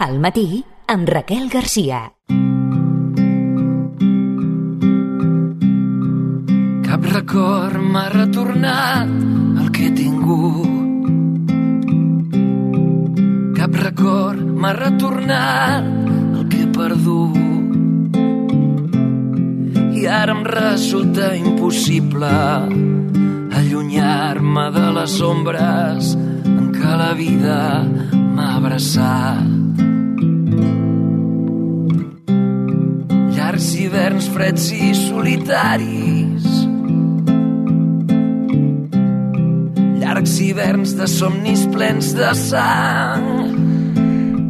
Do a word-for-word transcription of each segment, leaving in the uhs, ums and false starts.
Al matí, amb Raquel Garcia. Cap record m'ha retornat el que he tingut. Cap record m'ha retornat el que he perdut. I ara em resulta impossible allunyar-me de les ombres en què la vida m'ha abraçat. Llargs hiverns freds i solitaris, llargs hiverns de somnis plens de sang.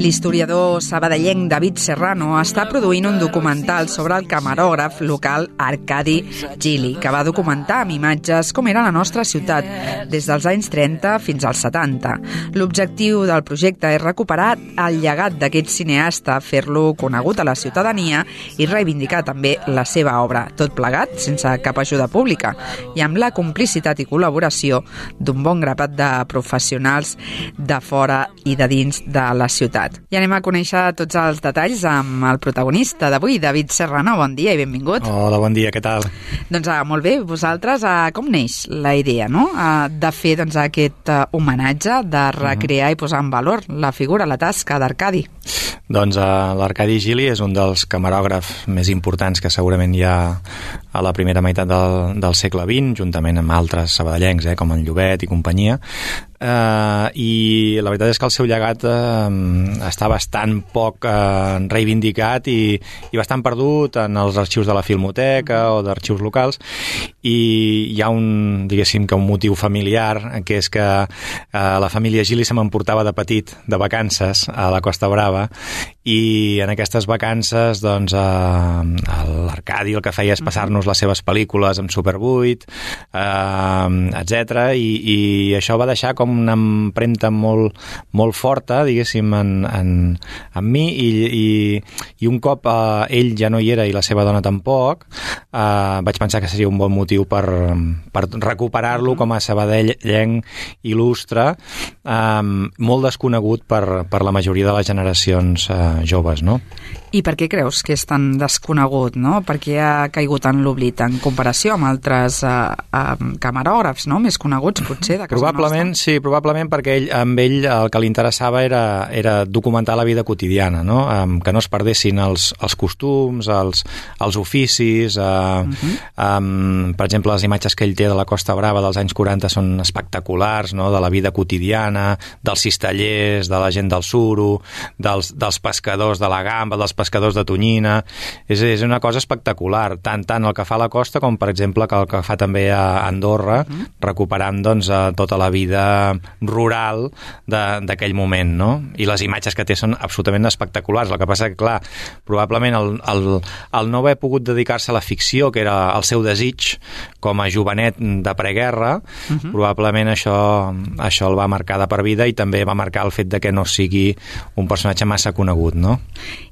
L'historiador sabadellenc David Serrano està produint un documental sobre el camarògraf local Arkadi Gili, que va documentar amb imatges com era la nostra ciutat des dels anys trenta fins als setanta. L'objectiu del projecte és recuperar el llegat d'aquest cineasta, fer-lo conegut a la ciutadania i reivindicar també la seva obra, tot plegat sense cap ajuda pública i amb la complicitat i col·laboració d'un bon grapat de professionals de fora i de dins de la ciutat. I anem a conèixer tots els detalls amb el protagonista d'avui, David Serrano. Bon dia i benvingut. Hola, bon dia, què tal? Doncs ah, molt bé, vosaltres, ah, com neix la idea, no?, ah, de fer doncs, aquest ah, homenatge, de recrear uh-huh. i posar en valor la figura, la tasca d'Arcadi? Doncs uh, l'Arcadi Gili és un dels camarògrafs més importants que segurament hi ha a la primera meitat del, del segle vint, juntament amb altres sabadellencs, eh, com en Llobet i companyia. Uh, i la veritat és que el seu llegat uh, està bastant poc uh, reivindicat i, i bastant perdut en els arxius de la Filmoteca o d'arxius locals, i hi ha un, diguéssim, que un motiu familiar, que és que uh, la família Gili se m'emportava de petit de vacances a la Costa Brava, i en aquestes vacances doncs uh, l'Arcadi el que feia és passar-nos les seves pel·lícules amb Super vuit, uh, etcètera, i, i això va deixar com una empremta molt, molt forta, diguéssim, en, en, en mi, i, i, i un cop uh, ell ja no hi era i la seva dona tampoc, uh, vaig pensar que seria un bon motiu per, per recuperar-lo com a sabadellenc il·lustre, um, molt desconegut per, per la majoria de les generacions uh, joves, no? I per què creus que és tan desconegut, no? Per què ha caigut en l'oblit en comparació amb altres uh, uh, camarògrafs, no?, més coneguts, potser, de casa probablement, nostra? Sí, probablement perquè ell, amb ell el que li interessava era, era documentar la vida quotidiana, no? Um, que no es perdessin els, els costums, els, els oficis, uh, uh-huh. um, per exemple, les imatges que ell té de la Costa Brava dels anys quaranta són espectaculars, no?, de la vida quotidiana, dels cistellers, de la gent del suro, dels, dels pescadors de la gamba, dels pescadors de tonyina. És, és una cosa espectacular, tant, tant el que fa a la costa com, per exemple, que el que fa també a Andorra, uh-huh. recuperant doncs, tota la vida rural d'aquell moment, no? I les imatges que té són absolutament espectaculars. El que passa que, clar, probablement el, el, el no haver pogut dedicar-se a la ficció, que era el seu desig com a jovenet de preguerra, uh-huh. probablement això, això el va marcar de per vida, i també va marcar el fet de que no sigui un personatge massa conegut, no?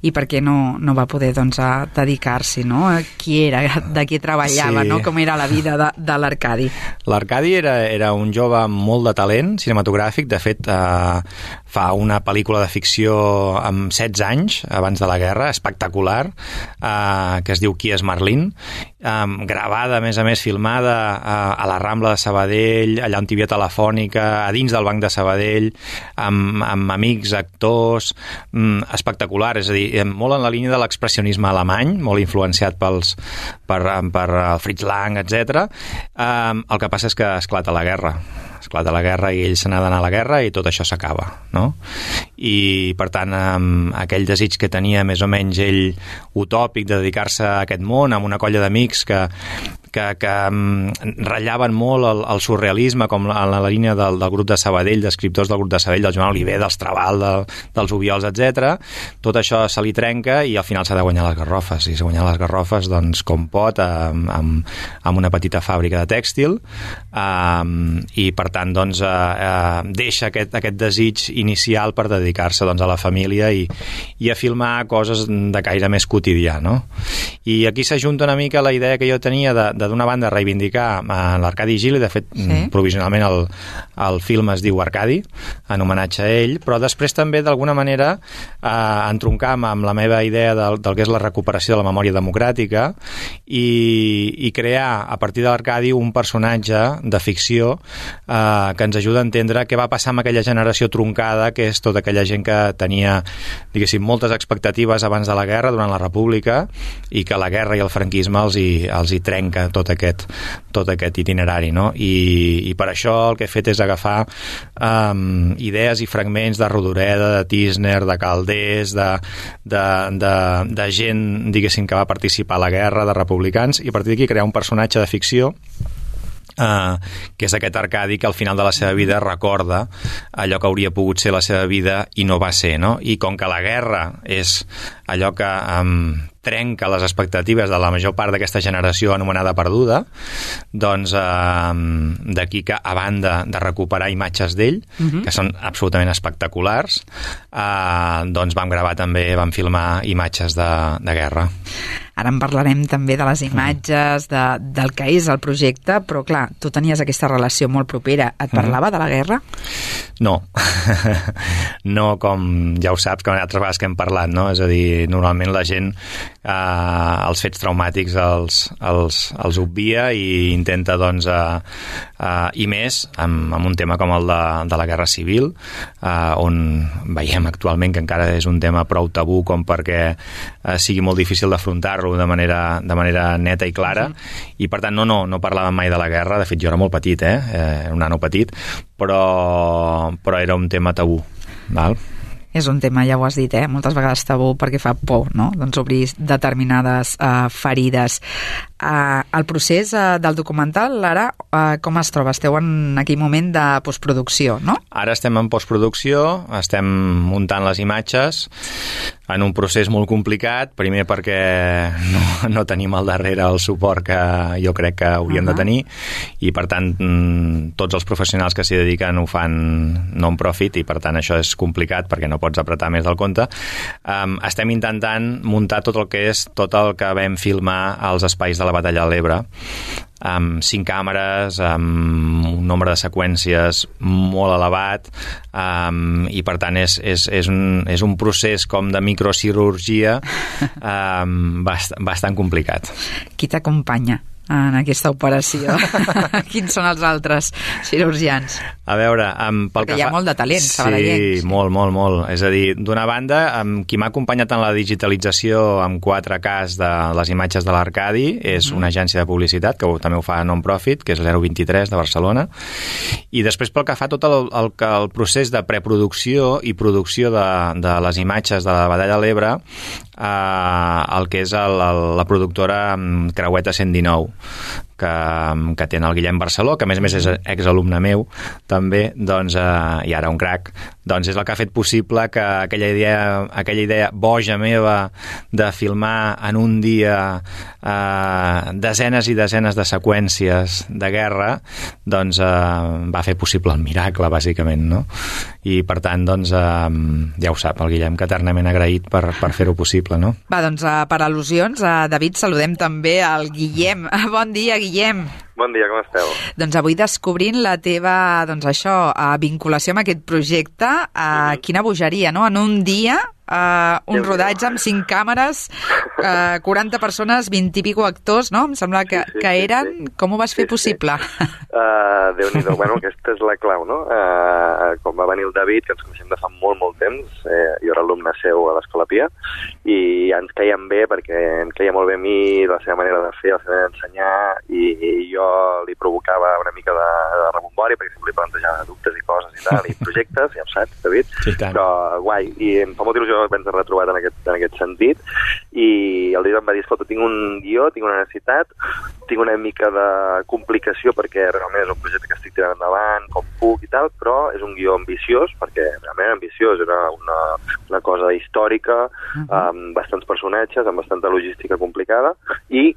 I per què no, no va poder doncs, a dedicar-s'hi, no? A qui era, de qui treballava, sí. no? Com era la vida de, de l'Arcadi? L'Arcadi era, era un jove amb molt de talent cinematogràfic. De fet, eh, fa una pel·lícula de ficció amb setze anys, abans de la guerra, espectacular, eh, que es diu Qui és Merlín, eh, gravada, a més a més, filmada eh, a la Rambla de Sabadell, allà on hi havia telefònica, a dins del Banc de Sabadell, amb, amb amics, actors, mm, espectacular, és a dir, molt en la línia de l'expressionisme alemany, molt influenciat pels, per, per Fritz Lang, etcètera. Um, el que passa és que esclata la guerra. Esclata la guerra i ell se n'ha d'anar a la guerra i tot això s'acaba, no? I, per tant, um, aquell desig que tenia més o menys ell utòpic de dedicar-se a aquest món amb una colla d'amics que que, que um, ratllaven molt el, el surrealisme, com la, la línia del, del grup de Sabadell, d'escriptors del grup de Sabadell, del Joan Oliver, dels Trabal, de, dels Obiols, etcètera. Tot això se li trenca i al final s'ha de guanyar les garrofes. I s'ha guanyat les garrofes, doncs, com pot, amb, amb, amb una petita fàbrica de tèxtil, um, i per tant, doncs, uh, uh, deixa aquest, aquest desig inicial per dedicar-se, doncs, a la família i, i a filmar coses de caire més quotidià, no? I aquí s'ajunta una mica la idea que jo tenia de, de d'una banda reivindicar uh, l'Arcadi Gili, de fet sí. provisionalment el, el film es diu Arcadi, en homenatge a ell, però després també d'alguna manera uh, entroncar amb, amb la meva idea del, del que és la recuperació de la memòria democràtica i, i crear a partir de l'Arcadi un personatge de ficció uh, que ens ajuda a entendre què va passar amb aquella generació troncada, que és tota aquella gent que tenia, diguéssim, moltes expectatives abans de la guerra, durant la República, i que la guerra i el franquisme els hi, els hi trenca tot aquest, tot aquest itinerari, no? I, i per això el que he fet és agafar um, idees i fragments de Rodoreda, de Tisner, de Calders, de, de, de, de gent, diguéssim, que va participar a la guerra, de republicans, i a partir d'aquí crear un personatge de ficció Uh, que és aquest Arcadi que al final de la seva vida recorda allò que hauria pogut ser la seva vida i no va ser, no? I com que la guerra és allò que um, trenca les expectatives de la major part d'aquesta generació anomenada perduda, doncs uh, d'aquí que a banda de recuperar imatges d'ell, uh-huh. que són absolutament espectaculars, uh, doncs vam gravar també, vam filmar imatges de, de guerra. Ara en parlarem també de les imatges, de, del que és el projecte, però clar, tu tenies aquesta relació molt propera. Et parlava mm. de la guerra? No. No, com ja ho saps, com altres vegades que hem parlat, no? És a dir, normalment la gent eh, els fets traumàtics els, els, els obvia i intenta, doncs, eh, eh, i més amb, amb un tema com el de, de la guerra civil, eh, on veiem actualment que encara és un tema prou tabú com perquè eh, sigui molt difícil d'afrontar-lo de manera, de manera neta i clara, sí. I per tant no, no, no parlàvem mai de la guerra. De fet, jo era molt petit, eh? Era un nano petit, però, però era un tema tabú, val? És un tema, ja ho has dit, eh? Moltes vegades tabú perquè fa por, no? Doncs obrir determinades uh, ferides. Uh, el procés uh, del documental, ara, uh, com es troba? Esteu en aquell moment de postproducció, no? Ara estem en postproducció, estem muntant les imatges en un procés molt complicat, primer perquè no, no tenim al darrere el suport que jo crec que hauríem uh-huh. de tenir, i per tant tots els professionals que s'hi dediquen ho fan non-profit, i per tant això és complicat perquè no pots apretar més del compte. Um, estem intentant muntar tot el que és tot el que vam filmar als espais de la Batalla de l'Ebre, amb cinc càmeres, amb un nombre de seqüències molt elevat, um, i per tant és, és, és, un, és un procés com de microcirurgia um, bast, bastant complicat. Qui t'acompanya en aquesta operació? Quins són els altres cirurgians? A veure, um, pel perquè que hi ha fa... molt de talent, sí, sabadellenc. Sí, molt, molt, molt. És a dir, d'una banda, um, qui m'ha acompanyat en la digitalització amb quatre K de les imatges de l'Arcadi és mm. una agència de publicitat que també ho fa non-profit, que és zero vint-i-tres de Barcelona. I després, pel que fa tot el, el, el procés de preproducció i producció de, de les imatges de la Batalla de l'Ebre, eh, el que és el, el, la productora Creueta cent dinou, que, que té el Guillem Barceló, que a més a més és exalumne meu també, doncs, eh, i ara un crac, doncs és el que ha fet possible que aquella idea, aquella idea boja meva de filmar en un dia eh, desenes i desenes de seqüències de guerra, doncs eh, va fer possible el miracle, bàsicament, no? I per tant, doncs, eh, ja ho sap, el Guillem, que eternament agraït per, per fer-ho possible, no? Va, doncs, eh, per al·lusions, eh, David, saludem també al Guillem. Bon dia, Guillem. Bon dia, com esteu? Doncs avui descobrint la teva, doncs això, uh, vinculació amb aquest projecte, uh, mm-hmm. quina bogeria, no? En un dia, uh, un rodatge amb cinc càmeres, uh, quaranta persones, vint i pico actors, no? Em sembla que, sí, sí, que eren... Sí, sí. Com ho vas fer sí, possible? Sí. Uh, Déu-n'hi-do, bueno, aquesta és la clau, no? Uh, com va venir el David, que ens coneixem de fa molt, molt temps, eh, jo era alumne seu a l'Escola Pia, i ens caiem bé perquè em caia molt bé a mi, la seva manera de fer, la seva manera d'ensenyar, i, i jo li provocava una mica de, de rebombori perquè sempre li plantejava dubtes i coses i tal, i projectes, ja ho saps, David, sí, però guai, i em fa molta il·lusió haver-nos retrobat en aquest, en aquest sentit, i el David em va dir, escolta, tinc un guió, tinc una necessitat, tinc una mica de complicació perquè realment és un projecte que estic tirant endavant, com puc i tal, però és un guió ambiciós, perquè realment era ambiciós, era una, una cosa històrica, uh-huh. amb bastants personatges, amb bastanta logística complicada, i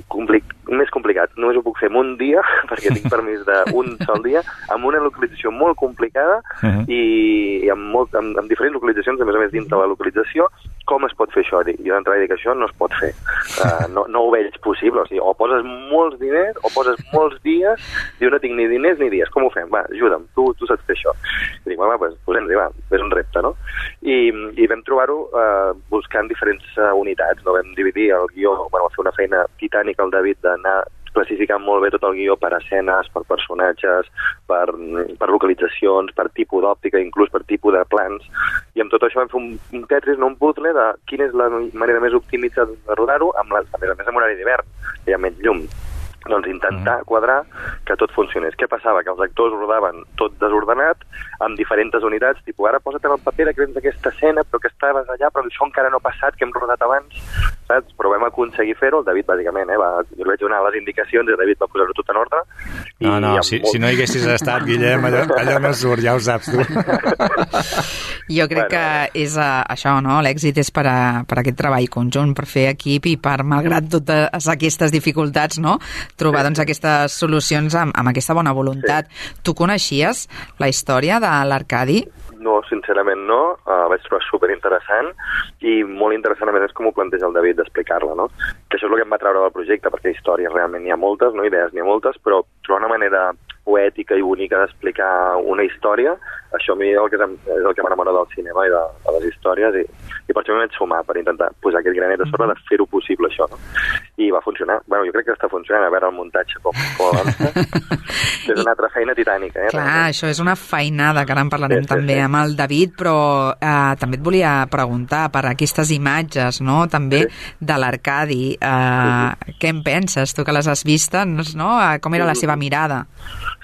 compli- més complicat, només ho puc fer en un dia, perquè tinc permís d'un sol dia, amb una localització molt complicada, uh-huh. i, i amb, molt, amb, amb diferents localitzacions, a més a més dins de la localització, com es pot fer això? Dic, jo d'entrada dic, això no es pot fer. Uh, no, no ho veig possible. O sigui, o poses molts diners o poses molts dies, diu, no tinc ni diners ni dies, com ho fem? Va, ajuda'm, tu, tu saps fer això. I dic, va, doncs posem-hi, va, és un repte, no? I, i vam trobar-ho uh, buscant diferents uh, unitats, no? Vam dividir el guió, bueno, fer una feina titànica al David d'anar classificant molt bé tot el guió per escenes, per personatges, per, per localitzacions, per tipus d'òptica, inclús per tipus de plans, i amb tot això vam fer un, un Tetris, no un puzzle, de quina és la manera més optimitzada de rodar-ho, amb la, a més a més amb horari d'hivern, que hi ha menys llum. Doncs intentar quadrar que tot funcionés. Què passava? Que els actors rodaven tot desordenat, amb diferents unitats, tipus, ara posa't en el paper que vens d'aquesta escena, però que estaves allà, però això encara no ha passat, que hem rodat abans, saps? Però vam aconseguir fer-ho, el David, bàsicament, eh, va, jo li vaig donar les indicacions i el David va posar-ho tot en ordre. No, no, si, molt... si no hi haguessis estat, Guillem, allò, allò no surt, ja ho saps tu. Jo crec bueno, que és uh, això, no? L'èxit és per, a, per aquest treball conjunt, per fer equip i per, malgrat totes aquestes dificultats, no?, trobar sí. doncs, aquestes solucions amb, amb aquesta bona voluntat. Sí. Tu coneixies la història de l'Arcadi? No, sincerament no. Uh, vaig trobar superinteressant i molt interessant a més com ho planteja el David d'explicar-la, no? Que això és el que em va treure del projecte, perquè històries realment n'hi ha moltes, no idees n'hi ha moltes, però trobar una manera poètica i bonica d'explicar una història, això a mi és el que, és el que m'enamora del cinema i de, de les històries, i, i per això m'hi vaig sumar, per intentar posar aquest granet a sobre de fer-ho possible, això, no? I va funcionar. Bueno, jo crec que està funcionant, a veure el muntatge com, com avança. És una altra feina titànica, eh? Clar, realment. Això és una feinada, que ara en parlarem sí, sí, també sí. amb el David, però eh, també et volia preguntar per aquestes imatges, no?, també sí. de l'Arcadi. Eh, sí, sí. Què en penses, tu que les has vistes, no? Com era sí, la seva mirada?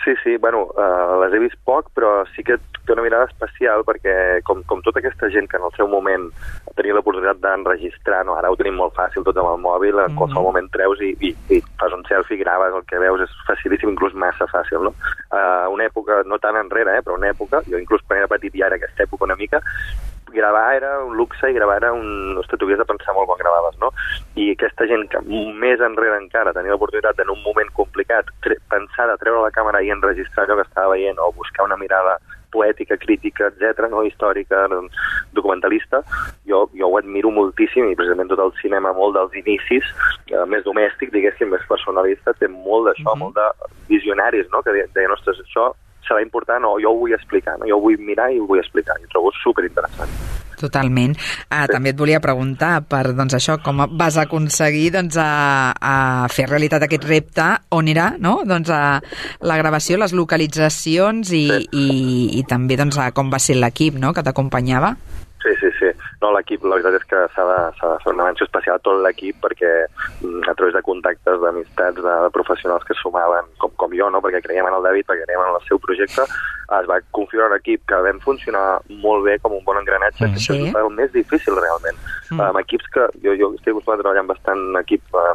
Sí, sí, bueno, uh, les he vist poc, però sí que té una mirada especial perquè com, com tota aquesta gent que en el seu moment tenia l'oportunitat d'enregistrar, no? Ara ho tenim molt fàcil tots amb el mòbil, en mm. qualsevol moment treus i, i, i fas un selfie, graves el que veus, és facilíssim, inclús massa fàcil, no? Uh, una època, no tan enrere, eh, però una època, jo inclús quan era petit i ara aquesta època una mica, gravar era un luxe i gravar era un... Ostres, tu havies de pensar molt quan gravaves, no? I aquesta gent que més enrere encara tenia l'oportunitat en un moment complicat tre- pensar de treure la càmera i enregistrar allò que estava veient o buscar una mirada poètica, crítica, etcètera, no? Històrica, documentalista, jo, jo ho admiro moltíssim i precisament tot el cinema, molt dels inicis, eh, més domèstic, diguéssim, més personalista, té molt d'això, mm-hmm. molt de visionaris, no? Que deien, ostres, això serà important o jo ho vull explicar, no? Jo ho vull mirar i ho vull explicar, i ho trobo superinteressant. Totalment. Ah, sí. També et volia preguntar per doncs, això, com vas aconseguir doncs, a, a fer realitat aquest repte, on era, no? Doncs, a la gravació, les localitzacions i, sí. i, i també doncs, a com va ser l'equip, no?, que t'acompanyava. Sí, sí, sí. No, l'equip, la veritat és que s'ha de, s'ha de fer una menció especial a tot l'equip perquè a través de contactes, d'amistats, de, de professionals que sumaven, com, com jo, no? Perquè creiem en el David, perquè creiem en el seu projecte, es va configurar un equip que vam funcionar molt bé com un bon engranatge, mm, sí. que és el més difícil realment. Mm. Amb equips que jo, jo estic acostumat a treballar amb bastant equip uh,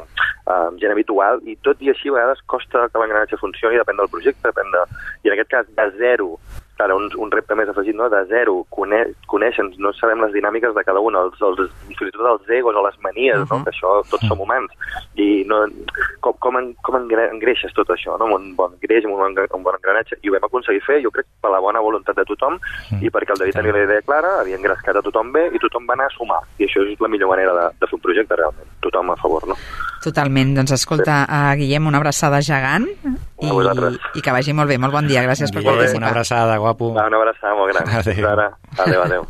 uh, gent habitual i tot i així a vegades costa que l'engranatge funcioni, depèn del projecte, depèn de... I en aquest cas, de zero, ara, un, un repte més afegit, no? De zero, cone, coneixen, no sabem les dinàmiques de cada un, els, els, fins i tot els egos o les manies, uh-huh. no? Que això tots som humans, i no, com, com, en, com engreixes tot això, no? Amb un bon greix, amb un, un bon engranatge, i ho vam aconseguir fer, jo crec, per la bona voluntat de tothom, uh-huh. i perquè el David tenia la idea clara, havia engrescat a tothom bé, i tothom va anar a sumar, i això és la millor manera de, de fer un projecte, realment, tothom a favor, no? Totalment, doncs escolta, sí. uh, Guillem, una abraçada gegant, i, i que vagi molt bé, molt bon dia, gràcies per participar. Una abraçada, guapo. Va, una abraçada molt gran. Adéu. Ara. Adéu, adéu.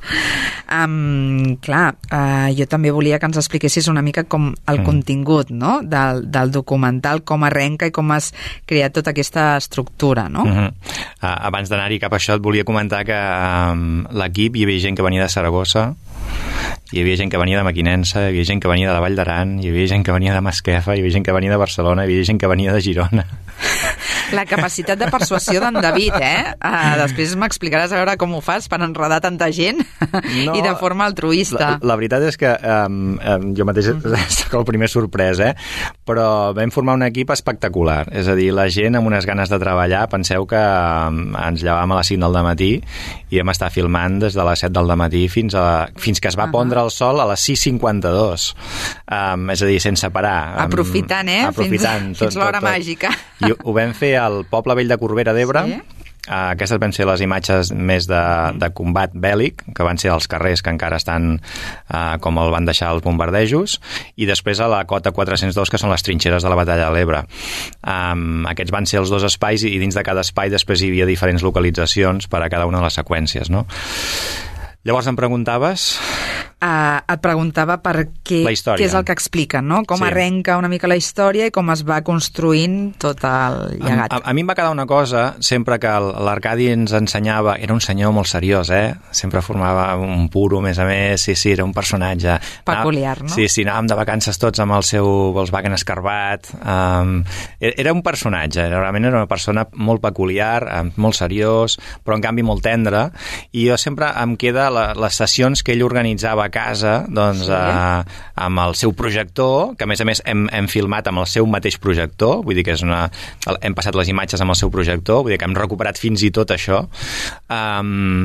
Um, clar, uh, jo també volia que ens expliquessis una mica com el mm. contingut, no?, del, del documental, com arrenca i com has creat tota aquesta estructura, no? Mm-hmm. Uh, abans d'anar-hi cap a això et volia comentar que um, l'equip hi havia gent que venia de Saragossa, hi havia gent que venia de Mequinensa, hi havia gent que venia de la Vall d'Aran, hi havia gent que venia de Masquefa, hi havia gent que venia de Barcelona, hi havia gent que venia de Girona. La capacitat de persuasió d'en David, eh? Uh, després m'explicaràs a veure com ho fas per enredar tanta gent no, i de forma altruista. La, la veritat és que um, um, jo mateix soc el primer sorprès, eh? Però vam formar un equip espectacular. És a dir, la gent amb unes ganes de treballar, penseu que um, ens llevàvem a les cinc del dematí i vam estar filmant des de les set del dematí fins, a, fins que es va uh-huh. pondre el sol a les sis cinquanta-dos. Um, és a dir, sense parar. Um, aprofitant, eh? Aprofitant. Fins, tot, fins l'hora tot, tot. Màgica. I ho vam fer al Poble Vell de Corbera d'Ebre, sí? Uh, aquestes van ser les imatges més de, de combat bèl·lic, que van ser els carrers que encara estan uh, com el van deixar els bombardejos, i després a la cota quatre-cents dos, que són les trinxeres de la batalla de l'Ebre. Um, aquests van ser els dos espais, i dins de cada espai després hi havia diferents localitzacions per a cada una de les seqüències, no? Llavors em preguntaves... Uh, et preguntava per què, què és el que expliquen, no? Com sí. arrenca una mica la història i com es va construint tot el llegat. A, a, a mi em va quedar una cosa, sempre que l'Arcadi ens ensenyava, era un senyor molt seriós, eh? Sempre formava un puro, a més a més, sí, sí, era un personatge... Peculiar, no? Sí, sí, anàvem de vacances tots amb el seu Volkswagen escarbat. Um, era un personatge, realment era una persona molt peculiar, molt seriós, però en canvi molt tendre, i jo sempre em queda la, les sessions que ell organitzava a casa, doncs, sí. eh, amb el seu projector, que a més a més hem, hem filmat amb el seu mateix projector, vull dir que és una... hem passat les imatges amb el seu projector, vull dir que hem recuperat fins i tot això. Um,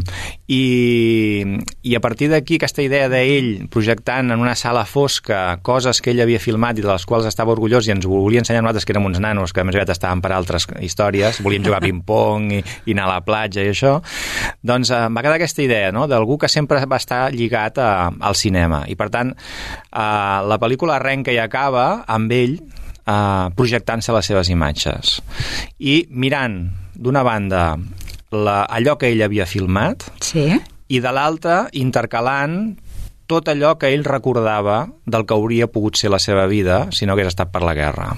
i, i a partir d'aquí aquesta idea d'ell projectant en una sala fosca coses que ell havia filmat i de les quals estava orgullós i ens volia ensenyar a nosaltres, que érem uns nanos que més aviat estàvem per altres històries, volíem jugar a ping-pong i, i anar a la platja i això, doncs eh, va quedar aquesta idea, no?, d'algú que sempre va estar lligat a al cinema, i per tant eh, la pel·lícula arrenca i acaba amb ell eh, projectant-se les seves imatges i mirant d'una banda la, allò que ell havia filmat, sí. i de l'altra intercalant tot allò que ell recordava del que hauria pogut ser la seva vida si no hagués estat per la guerra.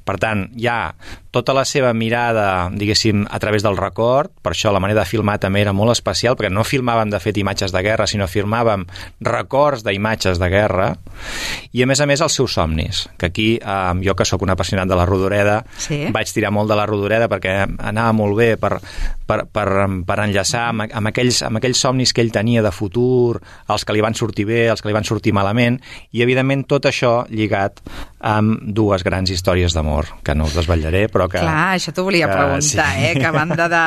Per tant, hi ha tota la seva mirada, diguéssim, a través del record, per això la manera de filmar també era molt especial, perquè no filmàvem, de fet, imatges de guerra, sinó filmàvem records d'imatges de guerra, i a més a més els seus somnis, que aquí, eh, jo que sóc un apassionat de la Rodoreda, sí. vaig tirar molt de la Rodoreda perquè anava molt bé per, per, per, per enllaçar amb, amb, aquells, amb aquells somnis que ell tenia de futur, els que li van sortir bé, els que li van sortir malament, i evidentment tot això lligat amb dues grans històries d'amor, que no us desvetllaré, però que... Clar, això t'ho volia que, preguntar, sí. eh? Que a banda de,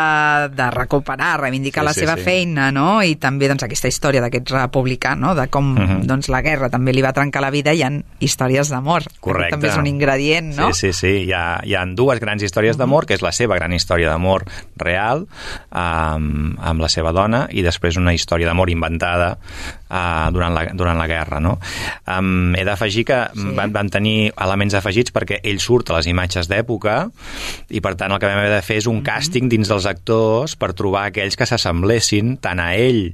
de recuperar, reivindicar sí, la sí, seva sí. feina, no? I també doncs, aquesta història d'aquest republicà, no? De com uh-huh. doncs, la guerra també li va trencar la vida, hi ha històries d'amor. Correcte. També és un ingredient, no? Sí, sí, sí. Hi ha, hi ha dues grans històries uh-huh. d'amor, que és la seva gran història d'amor real, amb, amb la seva dona, i després una història d'amor inventada uh, durant, la, durant la guerra, no? Um, he d'afegir que sí. van, van tenir elements afegits perquè ell surt a les imatges d'època, i per tant el que vam haver de fer és un càsting dins dels actors per trobar aquells que s'assemblessin tant a ell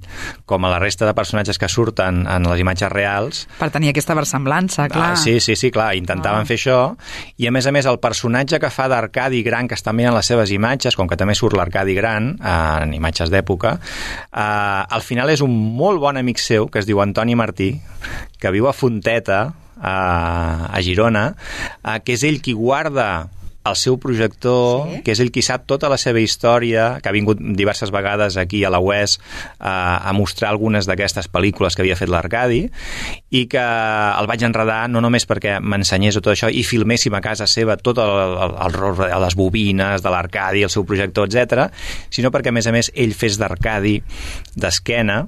com a la resta de personatges que surten en les imatges reals. Per tenir aquesta versemblança, clar. Ah, sí, sí, sí, clar, intentaven ah. fer això, i a més a més el personatge que fa d'Arcadi Gran, que està mirant les seves imatges, com que també surt l'Arcadi Gran eh, en imatges d'època, eh, al final és un molt bon amic seu que es diu Antoni Martí, que viu a Fonteta, a, a Girona, eh, que és ell qui guarda el seu projector, sí. que és ell qui sap tota la seva història, que ha vingut diverses vegades aquí a la U E S eh, a mostrar algunes d'aquestes pel·lícules que havia fet l'Arcadi, i que el vaig enredar no només perquè m'ensenyés tot això i filméssim a casa seva tot el, el, el, les bobines de l'Arcadi, el seu projector, etcètera, sinó perquè, a més a més, ell fes d'Arcadi d'esquena,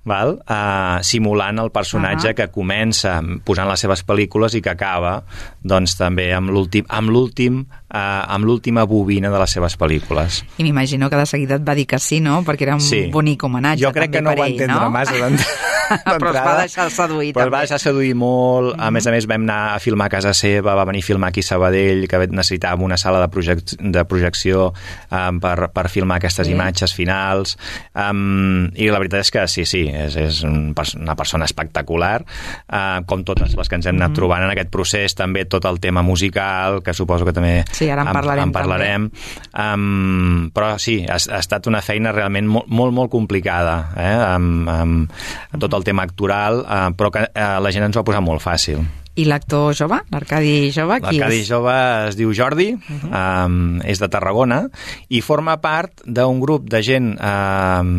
val? Uh, simulant el personatge uh-huh. que comença posant les seves pel·lícules i que acaba doncs també amb l'últim amb l'últim Uh, amb l'última bobina de les seves pel·lícules. I m'imagino que de seguida et va dir que sí, no? Perquè era un sí. bonic homenatge. Jo crec que no ho va entendre no? massa d'entrada. Però es va deixar seduir Però també. es va deixar seduir molt. Mm-hmm. A més a més vam anar a filmar a casa seva, va venir a filmar aquí a Sabadell, que necessitàvem una sala de, projec de projecció um, per, per filmar aquestes sí. imatges finals. Um, I la veritat és que sí, sí, és, és un, una persona espectacular, uh, com totes les que ens hem anat mm-hmm. trobant en aquest procés, també tot el tema musical, que suposo que també sí, ara en parlarem. En parlarem. Um, però sí, ha, ha estat una feina realment molt, molt, molt complicada, eh? amb, amb tot el tema actoral, uh, però que uh, la gent ens ho ha posat molt fàcil. I l'actor jove, l'Arcadi jove, qui és? L'Arcadi jove es diu Jordi, uh-huh. um, és de Tarragona, i forma part d'un grup de gent um,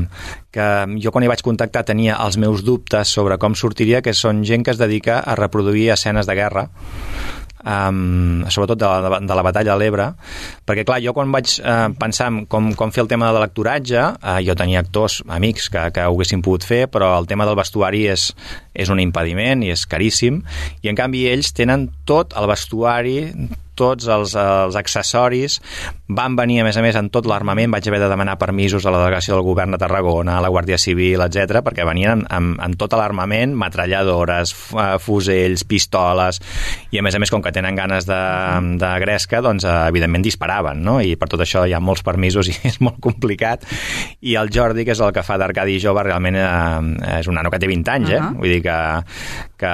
que jo quan hi vaig contactar tenia els meus dubtes sobre com sortiria, que són gent que es dedica a reproduir escenes de guerra, Um, sobretot de la, de la batalla de l'Ebre, perquè clar, jo quan vaig uh, pensar en com, com fer el tema de l'actoratge, uh, jo tenia actors, amics que, que ho haguessin pogut fer, però el tema del vestuari és, és un impediment i és caríssim, i en canvi ells tenen tot el vestuari, tots els, els accessoris, van venir, a més a més, en tot l'armament. Vaig haver de demanar permisos a la delegació del govern de Tarragona, a la Guàrdia Civil, etcètera, perquè venien amb, amb tot l'armament, metralladores, fusells, pistoles, i a més a més, com que tenen ganes de, de gresca, doncs, evidentment, disparaven, no? I per tot això hi ha molts permisos i és molt complicat. I el Jordi, que és el que fa d'Arcadi jove, realment eh, és un nano que té vint anys, eh? Uh-huh. Vull dir que, que,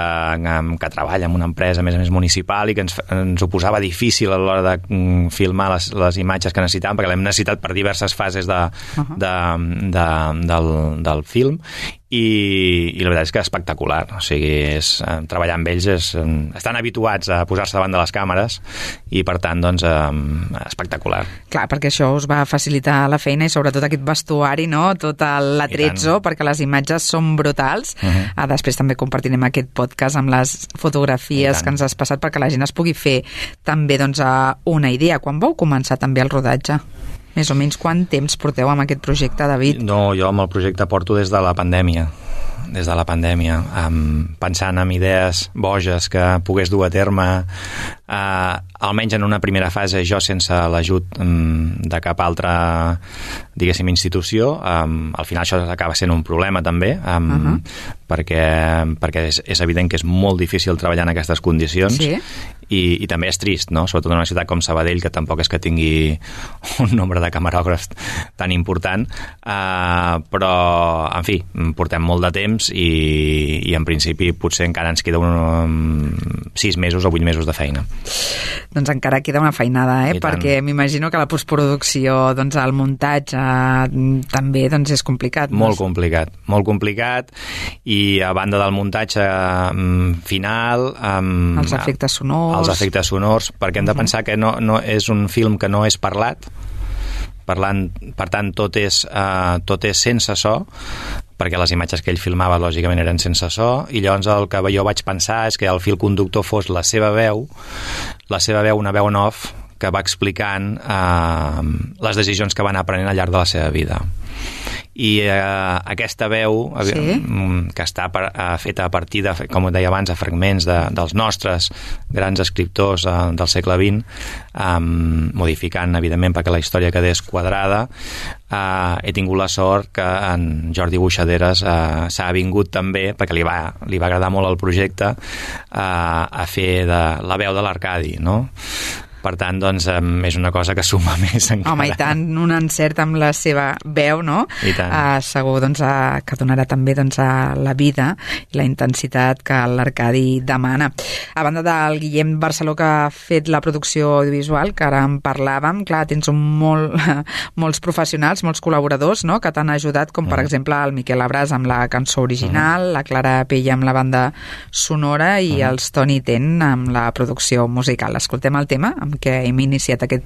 que treballa en una empresa, a més a més, municipal, i que ens, ens ho posava difícil a l'hora de mm, filmar les, les imatges que necessitàvem, perquè l'hem necessitat per diverses fases de, uh-huh. de, de, del, del film, i, i la veritat és que és espectacular. O sigui, és, eh, treballar amb ells és, eh, estan habituats a posar-se davant de les càmeres i, per tant, doncs, eh, espectacular. Clar, perquè això us va facilitar la feina i sobretot aquest vestuari, no? Tot l'atrezzo, perquè les imatges són brutals. Uh-huh. Ah, després també compartirem aquest podcast amb les fotografies que ens has passat perquè la gent es pugui fer també, doncs, una idea. Quan vau començar també el rodatge? Més o menys quant temps porteu amb aquest projecte, David? No, jo amb el projecte porto des de la pandèmia. des de la pandèmia, um, pensant en idees boges que pogués dur a terme, uh, almenys en una primera fase, jo sense l'ajut um, de cap altra, diguéssim, institució. Um, al final això acaba sent un problema també, um, uh-huh. perquè, perquè és, és evident que és molt difícil treballar en aquestes condicions. Sí. I, i també és trist, no? Sobretot en una ciutat com Sabadell, que tampoc és que tingui un nombre de camerògrafs tan important, uh, però, en fi, portem molt de temps i, i en principi potser encara ens queda un, um, sis mesos o vuit mesos de feina. Doncs encara queda una feinada, eh? Perquè m'imagino que la postproducció, doncs el muntatge també doncs és complicat. Molt complicat, molt complicat, i a banda del muntatge um, final... Um, els efectes sonors... els efectes sonors, perquè hem de pensar que no, no és un film que no és parlat, parlant, per tant tot és, uh, tot és sense so, perquè les imatges que ell filmava lògicament eren sense so, i llavors el que jo vaig pensar és que el fil conductor fos la seva veu, la seva veu, una veu en off, que va explicant uh, les decisions que va anar prenent al llarg de la seva vida. I eh, aquesta veu sí? que està per, eh, feta a partir de, com deia abans, a fragments de, dels nostres grans escriptors eh, del segle vint, eh, modificant, evidentment, perquè la història quedés quadrada, eh, he tingut la sort que en Jordi Buixaderes eh, s'ha vingut també, perquè li va, li va agradar molt el projecte, eh, a fer de la veu de l'Arcadi, no? Per tant, doncs, és una cosa que suma més encara. Home, i tant, un encert amb la seva veu, no? I tant. Uh, segur doncs, uh, que donarà també doncs, uh, la vida i la intensitat que l'Arcadi demana. A banda del Guillem Barceló, que ha fet la producció audiovisual, que ara en parlàvem, clar, tens un molt, molts professionals, molts col·laboradors, no?, que t'han ajudat, com per mm. exemple el Miquel Abràs amb la cançó original, mm. la Clara Pella amb la banda sonora i mm. els Toni Ten amb la producció musical. Escoltem el tema amb què hem iniciat aquest,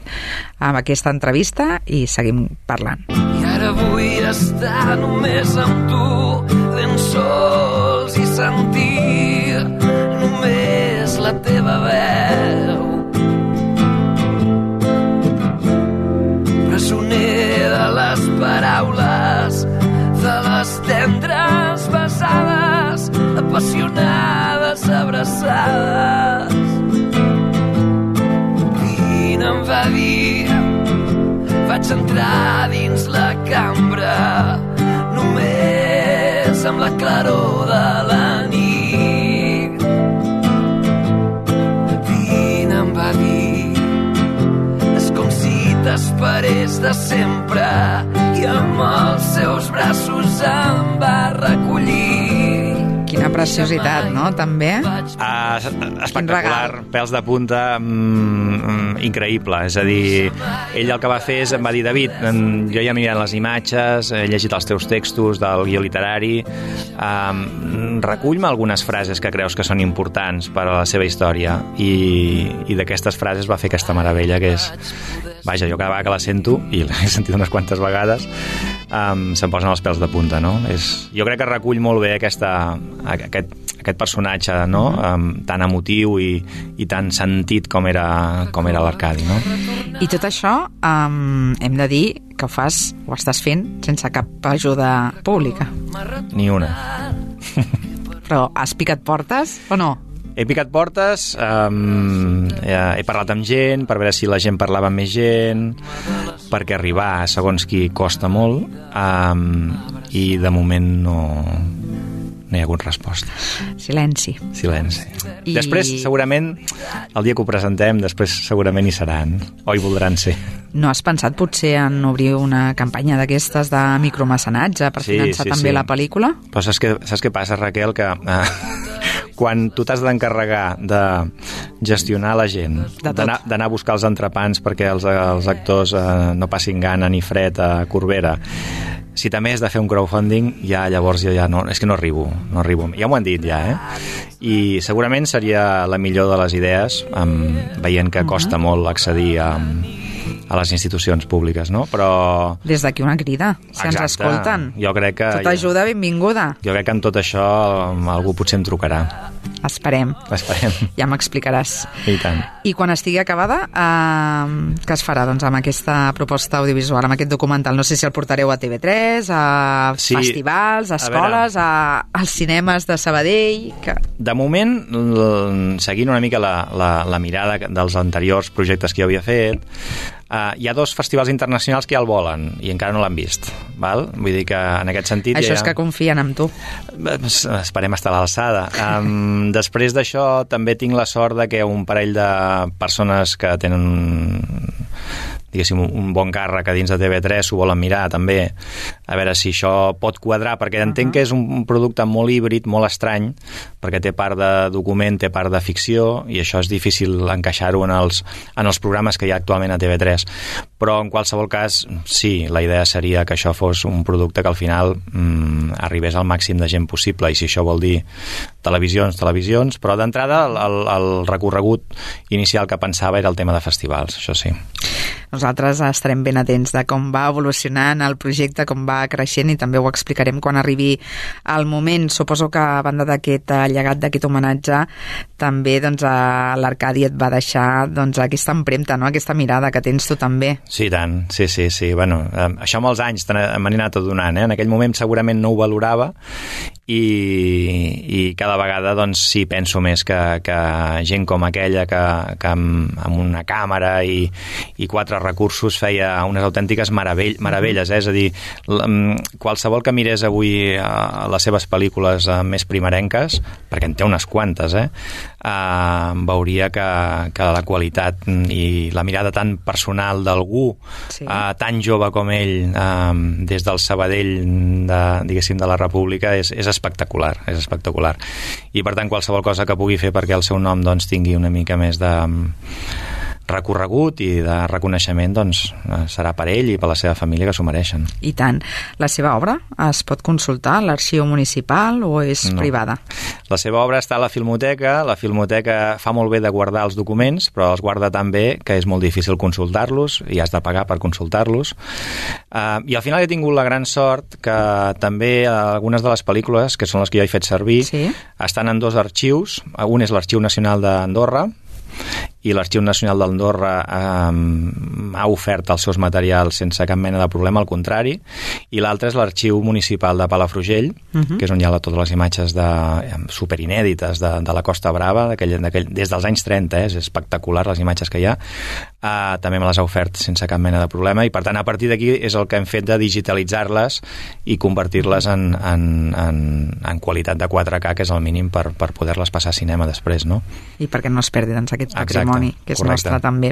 amb aquesta entrevista i seguim parlant. I ara vull estar només amb tu, ben sols i sentir només la teva veu. Presoner de les paraules, de les tendres besades, apassionades abraçades. Em va dir, vaig entrar dins la cambra només amb la claror de la nit. Vine, em va dir, és com si t'esperés de sempre, i amb els seus braços em va recollir. Quina preciositat, no?, també. Ah, espectacular, pèls de punta, mm, increïble. És a dir, ell el que va fer és, em va dir, David, jo ja he mirat les imatges, he llegit els teus textos del guió literari, um, recull-me algunes frases que creus que són importants per a la seva història, i, i d'aquestes frases va fer aquesta meravella, que és, vaja, jo cada vegada que la sento, i l'he sentit unes quantes vegades, um, se'm posen els pèls de punta, no? És, jo crec que recull molt bé aquesta Aquest, aquest personatge, no? Um, tan emotiu i, i tan sentit com era, com era l'Arcadi, no? I tot això um, hem de dir que ho fas, ho estàs fent sense cap ajuda pública. Ni una. Però has picat portes o no? He picat portes, um, he, he parlat amb gent per veure si la gent parlava amb més gent, perquè arribar, segons qui, costa molt, um, i de moment no, no hi ha hagut resposta. Silenci. Silenci. I... Després, segurament, el dia que ho presentem, després segurament hi seran, o hi voldran ser. No has pensat potser en obrir una campanya d'aquestes de micromecenatge per sí, finançar sí, també sí. la pel·lícula? Però saps què, saps què passa, Raquel? Que eh, quan tu t'has d'encarregar de gestionar la gent, d'anar d'anar a buscar els entrepans perquè els, els actors eh, no passin gana ni fred a Corbera, si també has de fer un crowdfunding, ja llavors ja, ja no, és que no arribo, no arribo. Ja m'ho han dit ja, eh? I segurament seria la millor de les idees, um, veient que costa uh-huh. molt accedir a, a les institucions públiques, no? Però... Des d'aquí una crida, si exacte, ens escolten. Jo crec que... Tota ajuda, benvinguda. Jo crec que en tot això algú potser em trucarà. Esperem. Esperem. Ja m'explicaràs. I tant. I quan estigui acabada, eh, què es farà doncs, amb aquesta proposta audiovisual, amb aquest documental? No sé si el portareu a T V tres, a sí, festivals, a escoles, a, a als cinemes de Sabadell... Que... De moment, seguint una mica la, la, la mirada dels anteriors projectes que jo havia fet, Uh, hi ha dos festivals internacionals que ja el volen i encara no l'han vist, val? Vull dir que en aquest sentit... Això ja... és que confien en tu. Esperem estar a l'alçada. Um, després d'això també tinc la sort de que un parell de persones que tenen diguéssim, un bon càrrec a dins de T V tres s'ho volen mirar també, a veure si això pot quadrar, perquè entenc uh-huh. que és un producte molt híbrid, molt estrany, perquè té part de document, té part de ficció, i això és difícil encaixar-ho en els, en els programes que hi ha actualment a T V tres. Però en qualsevol cas, sí, la idea seria que això fos un producte que al final mm, arribés al màxim de gent possible, i si això vol dir televisions, televisions, però d'entrada el, el, el recorregut inicial que pensava era el tema de festivals, això sí. Nosaltres estarem ben atents de com va evolucionant el projecte, com va creixent, i també ho explicarem quan arribi el moment. Suposo que a banda d'aquest llegat, d'aquest homenatge, també doncs, l'Arcadi et va deixar doncs, aquesta empremta, no? Aquesta mirada que tens tu també. Sí, tant, sí, sí, sí. Bueno, això amb els anys m'han anat adonant, eh? En aquell moment segurament no ho valorava, i, i cada vegada doncs, sí, penso més que, que gent com aquella que, que amb, amb una càmera i, i quatre recursos feia unes autèntiques meravell, meravelles, eh? És a dir, qualsevol que mirés avui a les seves pel·lícules més primerenques, perquè en té unes quantes, eh? Uh, veuria que, que la qualitat i la mirada tan personal d'algú sí. uh, tan jove com ell, uh, des del Sabadell de, diguéssim, de la República, és, és espectacular, és espectacular. I per tant qualsevol cosa que pugui fer perquè el seu nom doncs, tingui una mica més de recorregut i de reconeixement, doncs serà per ell i per la seva família, que s'ho mereixen. I tant. La seva obra es pot consultar a l'arxiu municipal o és no. privada? La seva obra està a la Filmoteca. La Filmoteca fa molt bé de guardar els documents, però els guarda tan bé que és molt difícil consultar-los i has de pagar per consultar-los. Uh, I al final he tingut la gran sort que també algunes de les pel·lícules, que són les que jo he fet servir, sí? estan en dos arxius. Un és l'Arxiu Nacional d'Andorra, i l'Arxiu Nacional d'Andorra eh, ha ofert els seus materials sense cap mena de problema, al contrari, i l'altre és l'Arxiu Municipal de Palafrugell, uh-huh. que és on hi ha totes les imatges de, superinèdites de, de la Costa Brava, d'aquell, d'aquell, des dels anys trenta, eh, és espectacular les imatges que hi ha, eh, també me les ha ofert sense cap mena de problema, i per tant a partir d'aquí és el que hem fet de digitalitzar-les i convertir-les en, en, en, en qualitat de quatre K, que és el mínim per, per poder-les passar a cinema després, no? I perquè no es perdi doncs, aquest patrimoni. Exacte, que és correcte. nostre també.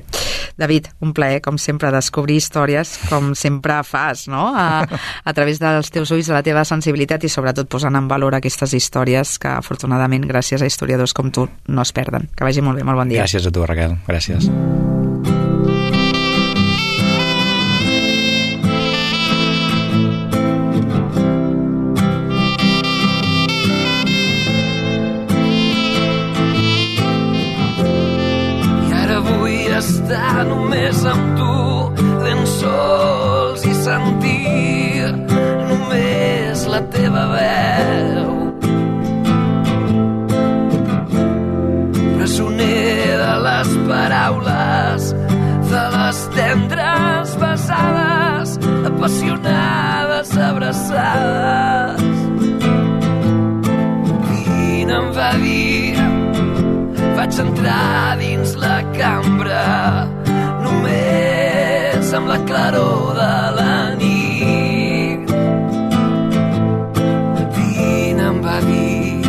David, un plaer, com sempre, descobrir històries com sempre fas, no? A, a través dels teus ulls, de la teva sensibilitat i sobretot posant en valor aquestes històries que afortunadament, gràcies a historiadors com tu, no es perden. Que vagi molt bé, molt bon dia. Gràcies a tu, Raquel. Gràcies. Estar només amb tu, ben sols i sentir només la teva veu. Presoner de les paraules, de les tendres besades, apassionades abraçades. Quina em va dir vaig entrar dins la cambra només amb la claror de la nit. Vine, em va dir,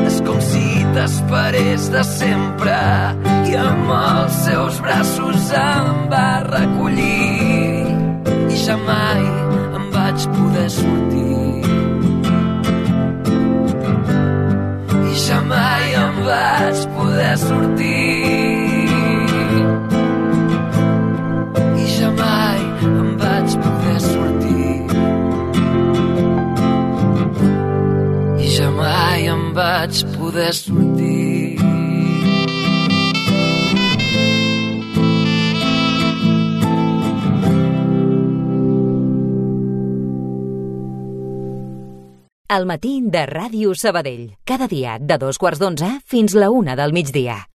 és com si t'esperés de sempre, i amb els seus braços em va recollir i ja mai em vaig poder sortir. I ja mai em vaig poder sortir. I ja mai em vaig poder sortir. I ja mai em vaig poder sortir. El matí de Ràdio Sabadell. Cada dia de dos quarts d'onze fins la una del migdia.